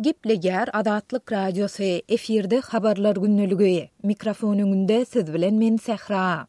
Gepleýär Azatlyk Radiosy, efirde Habarlar gündeligi. Mikrofon öňünde siz bilen men Sähra.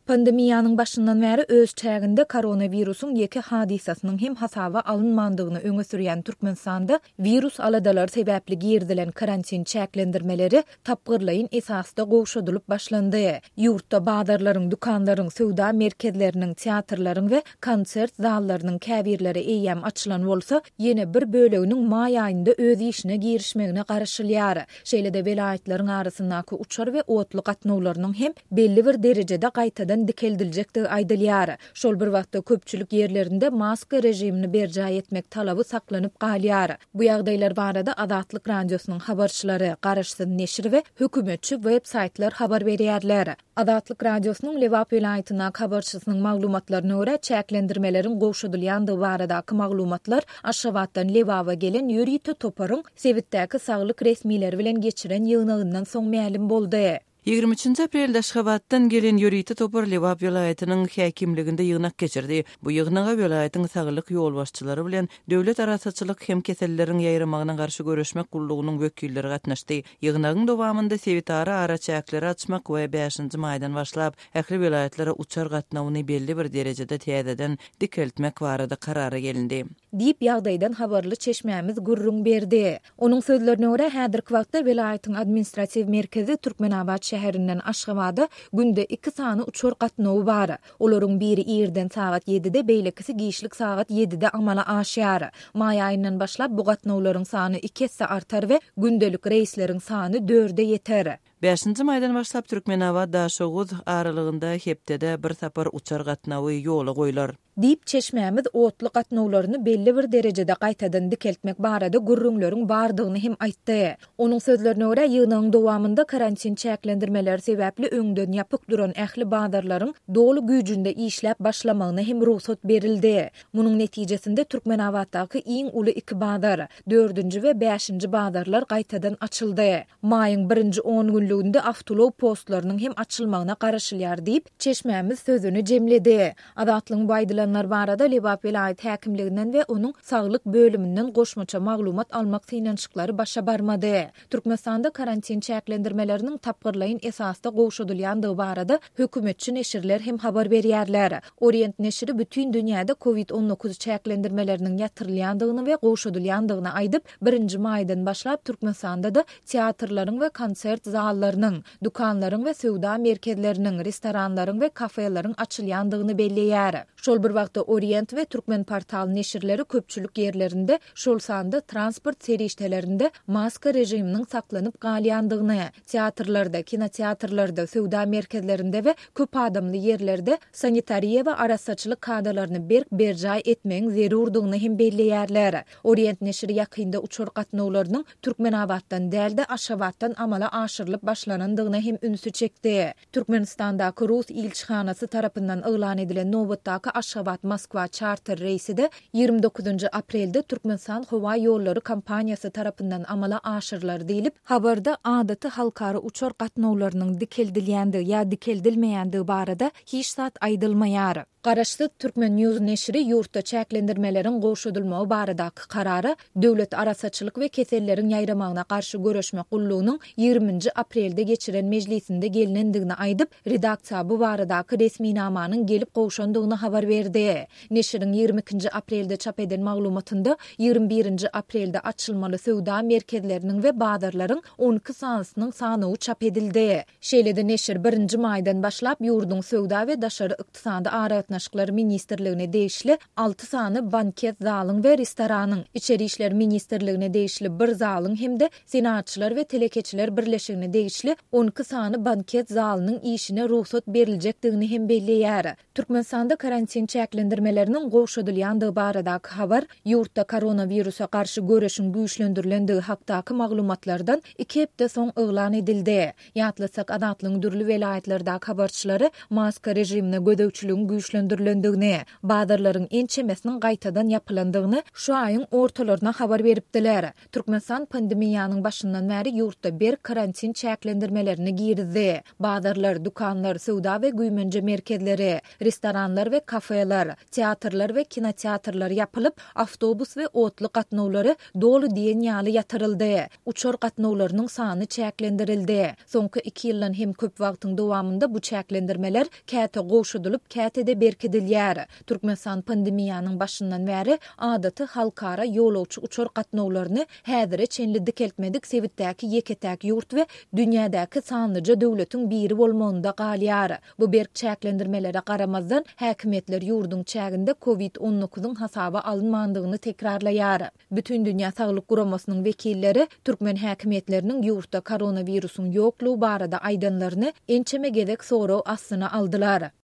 Pandemiýanyň başyndan bäri öz çäginde koronawirusyň ýeke hadysasynyň hem hasaba alynmandygyny öňe sürýän Türkmenistanda wirus aladalary sebäpli girizilen karantin çäklendirmeleri tapgyrlaýyn esasda gowşadylyp başlandy. Ýurtda bazarlaryň, dükanlaryň, söwda merkezleriniň, teatrlaryň we konsert zallarynyň käbirleri eýýäm açylan bolsa, ýene bir böleginiň maý aýynda öz işine girişmegine garaşylýar. Şeýle-de welaýatlaryň arasyndaky uçar we otly gatnawlarynyň hem belli bir derejede gaýtadan dikeldiljekdigi aýdylýar. Şol bir wagtda köpçülik ýerlerinde maska režimini berjaý etmek talaby saklanyp galýar. Bu ýagdaýlar barada Azatlyk Radiosynyň habarçylary, garaşsyz neşir we hökümetçi web saýtlar habar berýärler. Azatlyk Radiosynyň Lebap welaýatyndaky habarçysynyň maglumatlaryna görä, çäklendirmeleriň gowşadylýandygy baradaky maglumatlar Aşgabatdan Lebaba gelen ýörite toparyň sebitdäki saglyk resmileri bilen geçiren ýygnagyndan soň mälim boldy. 23-nji aprelde Aşgabatdan gelen ýörite topar Lebap welaýatynyň häkimliginde ýygnak geçirdi. Bu ýygnaga welaýatyň saglyk ýolbaşçylary bilen Döwlet arassaçylyk hem keselleriň ýaýramagyna garşy göreşmek gullugynyň wekilleri gatnaşdy. Ýygnagyň dowamynda sebitara araçäkleri açmak we bäşinji maýdan başlap ähli welaýatlara uçar gatnawyny belli bir derejede täzeden dikeltmek barada karara gelindi. Diýip, ýagdaýdan habarly çeşmämiz gürrüň berdi. Onuň sözlerine görä, häzirki wagtda welaýatyň administratiw merkezi Türkmenabat şäherinden Aşgabada günde iki sany uçar gatnawy bar. Olaryň biri irden sagat ýedide, beýlekisi giçlik sagat ýedide amala aşýar. Maý aýyndan başlap bu gatnawlaryň sany iki esse artar we gündelik reýsleriň sany dörde ýeter. Bäşinji maýdan başlap Türkmenabat-Daşoguz aralygynda hepdede bir sapar uçar gatnawy ýola goýlar. Diýip, çeşmämiz otly gatnawlaryny belli bir derejede gaýtadan dikeltmek barada gürrüňleriň bardygyny hem aýtdy. Onuň sözlerine görä, ýygnagyň dowamynda karantin çäklendirmeleri sebäpli öňden ýapyk duran ähli bazarlaryň doly güýjünde işläp başlamagyna hem rugsat berildi. Munuň netijesinde Türkmenabatdaky iň uly iki bazar, dördünji we bäşinji bazarlar gaýtadan açyldy. Maýyň birinji on günlüginde awtoulag postlarynyň hem açylmagyna garaşylýar diýip, çeşmämiz sözüni jemledi. Azatlygyň bu aýdylanlar barada Lebap welaýat häkimliginden we onuň saglyk bölüminden goşmaça maglumat almak synanyşyklary başa barmady. Türkmenistanda karantin çäklendirmeleriniň tapgyrlaýyn esasda gowşadylýandygy barada hökümetçi neşirler hem habar berýärler. Orient neşiri bütin dünýäde covid 19 çäklendirmeleriniň ýatyrylýandygyny we gowşadylýandygyny aýdyp, birinji maýdan başlap Türkmenistanda-da teatrlaryň we konsert zallarynyň, dükanlaryň we söwda merkezleriniň, restoranlaryň we kafeleriň açylýandygyny belleýär. Şol bir wagtda Orient we Türkmenportal neşirleri köpçülik ýerlerinde, şol sanda transport serişdelerinde maska režiminiň saklanyp galýandygyny, teatrlarda, kinoteatrlarda, söwda merkezlerinde we köp adamly ýerlerde sanitariýa we arassaçylyk kadalaryny berk berjaý etmegiň zerurdygyny hem belleýärler. Orient neşiri ýakynda uçar gatnawlarynyň Türkmenabatdan däl-de, Aşgabatdan amala aşyrylyp başlanandygyna hem ünsi çekdi. Türkmenistandaky rus ilçihanasy tarapyndan yglan edilen nobatdaky Aşgabat-Moskwa çarter reýsi-de 29 aprelde Türkmenistan howa ýollary kompaniýasy tarapyndan amala aşyrylar diýlip, habarda adaty halkara uçar gatnawlarynyň dikeldilýändigi ýa dikeldilmeýändigi barada hiç zat aýdylmaýar. Garaşsyz Turkmen News neşiri ýurtda çäklendirmeleriň gowşadylmagy baradaky karara Döwlet arassaçylyk we keselleriň ýaýramagyna garşy göreşmek gullugynyň ýigriminji aprelde geçiren mejlisinde gelnendigini aýdyp, redaksiýa bu baradaky resminamanyň gelip gowşandygyny habar berdi. Neşiriň ýigrimi ikinji aprelde çap eden maglumatynda ýigrimi birinji aprelde açylmaly söwda merkezleriniň we bazarlaryň on iki sanysynyň sanawy çap edildi. Şeýle-de neşir birinji maýdan başlap ýurduň Söwda we daşary ykdysady aragatnaşyklar ministrligine degişli alty sany banket zalyň we restoranyň, Içeri işler ministrligine degişli bir zalyň hem-de Senagatçylar we telekeçiler birleşigine degişli 12 sany banket zalynyň işine rugsat beriljekdigini hem belleýär. Türkmenistanda karantin çäklendirmeleriniň gowşadylýandygy baradaky habar ýurtda koronawirusa garşy göreşiň güýçlendirilendigi hakdaky maglumatlardan iki hepde soň yglan edildi. Ýatlatsak, Azatlygyň dürli welaýatlardaky habarçylary maska režimine gözegçiligiň güýçlendirilmegini. güýçlendirilendigini, bazarlaryň ençemesiniň gaýtadan ýapylandygyny şu aýyň ortalaryna habar beripdiler. Türkmenistan pandemiýanyň başyndan bäri ýurtda berk karantin çäklendirmelerini girizdi. Bazarlar, dükanlar, söwda we güýmenje merkezleri, restoranlar we kafeler, teatrlar we kinoteatrlar ýapylyp, awtobus we otly gatnawlary doly diýen ýaly ýatyryldy. Uçar gatnawlarynyň sany çäklendirildi. Soňky iki ýyldan hem köp wagtyň dowamynda bu çäklendirmeler käte gowşadylyp, käte-de berkidilýär. Türkmenistan pandemiýanyň başyndan bäri adaty halkara ýolagçy uçar gatnawlaryny häzire çenli dikeltmedik sebitdäki ýeke-täk ýurt we dünýädäki sanlyja döwletiň biri bolmagynda galýar. Bu berk çäklendirmelere garamazdan, häkimiýetler ýurduň çäginde Covid 19 yň hasaba alynmandygyny tekrarlaýar. Bütindünýä Saglyk Guramasynyň wekilleri türkmen häkimiýetleriniň ýurtda koronawirusyň ýoklugy barada aýdanlaryny ençeme gezek sorag astyna aldylar.